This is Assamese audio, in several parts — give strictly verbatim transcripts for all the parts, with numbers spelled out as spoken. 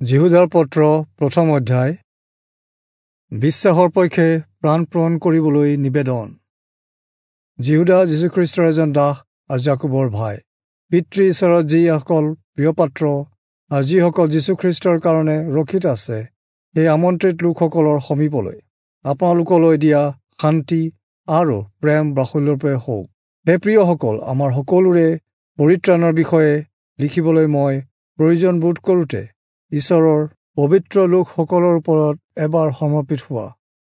যিহূদাৰ পত্ৰ প্ৰথম অধ্যায়। বিশ্বাসৰ পক্ষে প্ৰাণপণ কৰিবলৈ নিবেদন। যিহূদা যীশুখ্ৰীষ্টৰ এজন দাস আৰু যাকোবৰ ভাই, পিতৃ ঈশ্বৰত যিসকল প্ৰিয়পাত্ৰ আৰু যিসকল যীশুখ্ৰীষ্টৰ কাৰণে ৰক্ষিত আছে, সেই আমন্ত্ৰিত লোকসকলৰ সমীপলৈ আপোনালোকলৈ দিয়া শান্তি আৰু প্ৰেম বাহুল্যৰূপে হওক। হে প্ৰিয়সকল, আমাৰ সকলোৰে পৰিত্ৰাণৰ বিষয়ে লিখিবলৈ মই প্ৰয়োজন বোধ কৰোঁতে ঈশ্বৰৰ পবিত্ৰ লোকসকলৰ ওপৰত এবাৰ সমৰ্পিত হোৱা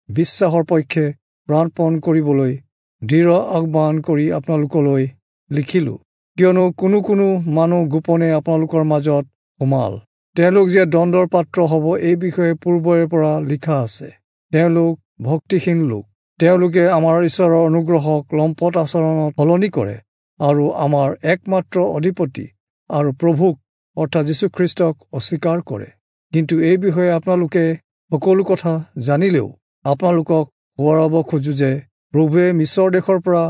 বিশ্বাসৰ পক্ষে প্ৰাণপণ কৰিবলৈ দৃঢ় আহ্বান কৰি আপোনালোকলৈ লিখিলোঁ। কিয়নো কোনো কোনো মানুহ গোপনে আপোনালোকৰ মাজত সোমাল। তেওঁলোক যে দণ্ডৰ পাত্ৰ হ'ব, এই বিষয়ে পূৰ্বৰে পৰা লিখা আছে। তেওঁলোক ভক্তিহীন লোক। তেওঁলোকে আমাৰ ঈশ্বৰৰ অনুগ্ৰহক লম্পট আচৰণত সলনি কৰে আৰু আমাৰ একমাত্ৰ অধিপতি আৰু প্ৰভুক অৰ্থাৎ যীশুখ্ৰীষ্টক অস্বীকাৰ কৰে। কিন্তু এই বিষয়ে আপোনালোকে সকলো কথা জানিলেও আপোনালোকক সোঁৱৰাব খোজো যে প্ৰভুৱে মিছৰ দেশৰ পৰা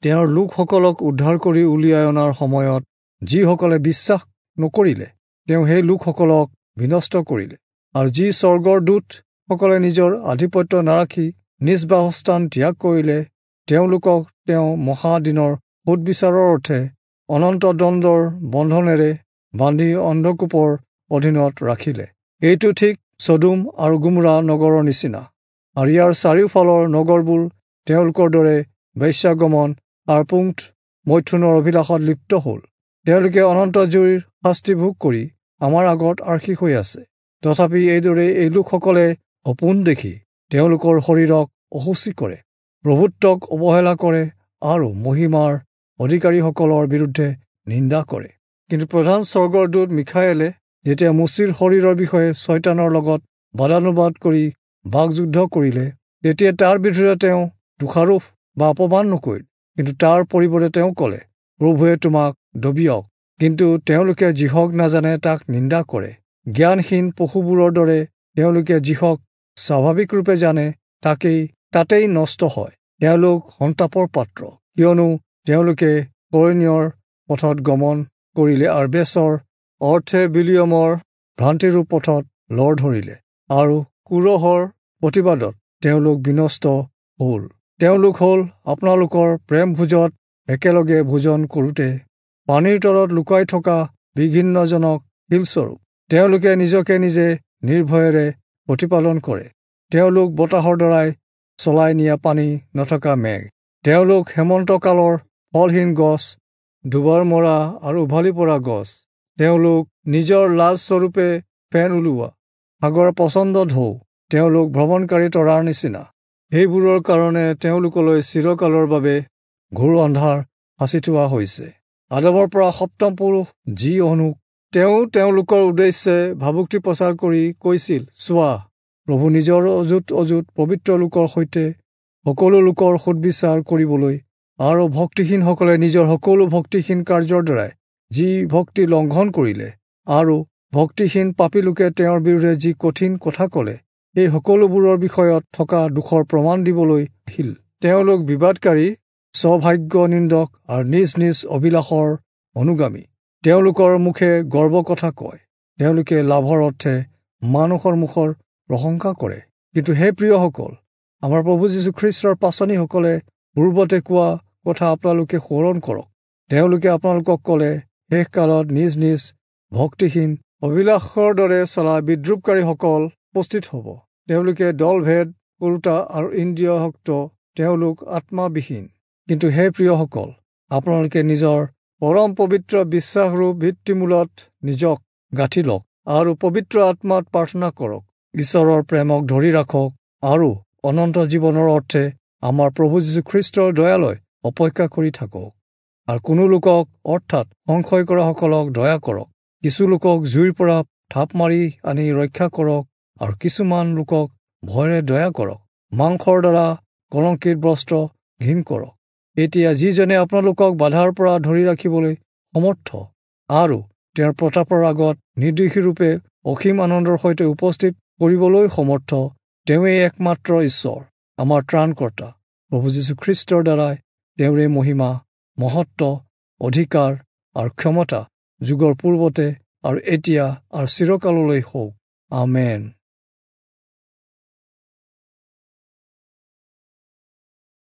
তেওঁৰ লোকসকলক উদ্ধাৰ কৰি উলিয়াই অনাৰ সময়ত যিসকলে বিশ্বাস নকৰিলে, তেওঁ সেই লোকসকলক বিনষ্ট কৰিলে। আৰু যি স্বৰ্গৰ দূতসকলে নিজৰ আধিপত্য নাৰাখি নিজ বাসস্থান ত্যাগ কৰিলে, তেওঁলোকক তেওঁ মহাদিনৰ সোধবিচাৰৰ অৰ্থে অনন্ত দণ্ডৰ বন্ধনেৰে বান্ধি অন্ধকূপৰ অধীনত ৰাখিলে। এইটো ঠিক চদোম আৰু গোমোৰা নগৰৰ নিচিনা, আৰু ইয়াৰ চাৰিওফালৰ নগৰবোৰ তেওঁলোকৰ দৰে বেশ্যাগমন আৰু পুংথ মৈথুনৰ অভিলাষত লিপ্ত হ'ল। তেওঁলোকে অনন্ত জুইৰ শাস্তি ভোগ কৰি আমাৰ আগত আৰ্শী হৈ আছে। তথাপি এইদৰে এই লোকসকলে সপোন দেখি তেওঁলোকৰ শৰীৰক অশুচি কৰে, প্ৰভুত্বক অৱহেলা কৰে আৰু মহিমাৰ অধিকাৰীসকলৰ বিৰুদ্ধে নিন্দা কৰে। কিন্তু প্ৰধান স্বৰ্গৰ দূত মিখায়েলে যেতিয়া মোচিৰ শৰীৰৰ বিষয়ে ছয়তানৰ লগত বাদানুবাদ কৰি বাকযুদ্ধ কৰিলে, তেতিয়া তাৰ বিৰুদ্ধে তেওঁ দোষাৰোপ বা অপমান নকৰিল, কিন্তু তাৰ পৰিৱৰ্তে তেওঁ ক'লে, প্ৰভুৱে তোমাক দবিয়ক। কিন্তু তেওঁলোকে যিহক নাজানে তাক নিন্দা কৰে। জ্ঞানহীন পশুবোৰৰ দৰে তেওঁলোকে যিহক স্বাভাৱিকৰূপে জানে তাকেই তাতেই নষ্ট হয়। তেওঁলোক সন্তাপৰ পাত্ৰ, কিয়নো তেওঁলোকে কৰণীয়ৰ পথত গমন কৰিলে আৰু বেচৰ অৰ্থে বিলিয়মৰ ভ্ৰান্তিৰূপ পথত লৰ ধৰিলে আৰু কোৰহৰ প্ৰতিবাদত তেওঁলোক বিনষ্ট হ'ল। তেওঁলোক হ'ল আপোনালোকৰ প্ৰেম ভোজত একেলগে ভোজন কৰোঁতে পানীৰ তলত লুকাই থকা বিঘিন্নজনক শিলস্বৰূপ। তেওঁলোকে নিজকে নিজে নিৰ্ভয়েৰে প্ৰতিপালন কৰে। তেওঁলোক বতাহৰ দ্বাৰাই চলাই নিয়া পানী নথকা মেঘ। তেওঁলোক হেমন্তকালৰ ফলহীন গছ, দুবাৰ মৰা আৰু উভালি পৰা গছ। তেওঁলোক নিজৰ লাজস্বৰূপে ফেন ওলোৱা সাগৰৰ প্ৰচণ্ড ঢৌ। তেওঁলোক ভ্ৰমণকাৰী তৰাৰ নিচিনা। সেইবোৰৰ কাৰণে তেওঁলোকলৈ চিৰকালৰ বাবে ঘোৰ অন্ধাৰ সাঁচি থোৱা হৈছে। আদমৰ পৰা সপ্তম পুৰুষ যি অনুক, তেওঁ তেওঁলোকৰ উদ্দেশ্যে ভাবুকি প্ৰচাৰ কৰি কৈছিল, চোৱা, প্ৰভু নিজৰ অযুত অযুত পবিত্ৰ লোকৰ সৈতে সকলো লোকৰ সোধবিচাৰ কৰিবলৈ আৰু ভক্তিহীনসকলে নিজৰ সকলো ভক্তিহীন কাৰ্যৰ দ্বাৰাই যি ভক্তি লংঘন কৰিলে আৰু ভক্তিহীন পাপী লোকে তেওঁৰ বিৰুদ্ধে যি কঠিন কথা ক'লে, এই সকলোবোৰৰ বিষয়ত থকা দোষৰ প্ৰমাণ দিবলৈ আহিল। তেওঁলোক বিবাদকাৰী, স্বভাগ্য নিন্দক আৰু নিজ নিজ অভিলাষৰ অনুগামী। তেওঁলোকৰ মুখে গৰ্ব কথা কয়। তেওঁলোকে লাভৰ অৰ্থে মানুহৰ মুখৰ প্ৰশংসা কৰে। কিন্তু হে প্ৰিয়সকল, আমাৰ প্ৰভু যীশুখ্ৰীষ্টৰ পাচনিসকলে পূৰ্বতে কোৱা কথা আপোনালোকে সোঁৱৰণ কৰক। তেওঁলোকে আপোনালোকক ক'লে, শেষকালত নিজ নিজ ভক্তিহীন অভিলাষৰ দৰে চলা বিদ্ৰূপকাৰীসকল উপস্থিত হ'ব। তেওঁলোকে দলভেদ কৰোঁতা আৰু ইন্দ্ৰিয়সক্ত, তেওঁলোক আত্মাবিহীন। কিন্তু হে প্ৰিয়সকল, আপোনালোকে নিজৰ পৰম পবিত্ৰ বিশ্বাসৰূপ ভিত্তিমূলত নিজক গাঁঠি লওক আৰু পবিত্ৰ আত্মাত প্ৰাৰ্থনা কৰক। ঈশ্বৰৰ প্ৰেমক ধৰি ৰাখক আৰু অনন্ত জীৱনৰ অৰ্থে আমাৰ প্ৰভু যীশুখ্ৰীষ্টৰ দয়ালৈ অপেক্ষা কৰি থাকক। আৰু কোনো লোকক অৰ্থাৎ সংশয় কৰাসকলক দয়া কৰক। কিছু লোকক জুইৰ পৰা থাপ মাৰি আনি ৰক্ষা কৰক আৰু কিছুমান লোকক ভয়েৰে দয়া কৰক। মাংসৰ দ্বাৰা কলংকিত বস্ত্ৰ ঘিণ কৰক। এতিয়া যিজনে আপোনালোকক বাধাৰ পৰা ধৰি ৰাখিবলৈ সমৰ্থ আৰু তেওঁৰ প্ৰতাপৰ আগত নিৰ্দোষীৰূপে অসীম আনন্দৰ সৈতে উপস্থিত কৰিবলৈ সমৰ্থ, তেওঁৱেই একমাত্ৰ ঈশ্বৰ, আমাৰ ত্ৰাণকৰ্তা প্ৰভু যীশুখ্ৰীষ্টৰ দ্বাৰাই তেওঁৰে মহিমা, মহত্ব, অধিকাৰ আৰু ক্ষমতা যুগৰ পূৰ্বতে আৰু এতিয়া আৰু চিৰকাললৈ হওক। আমেন।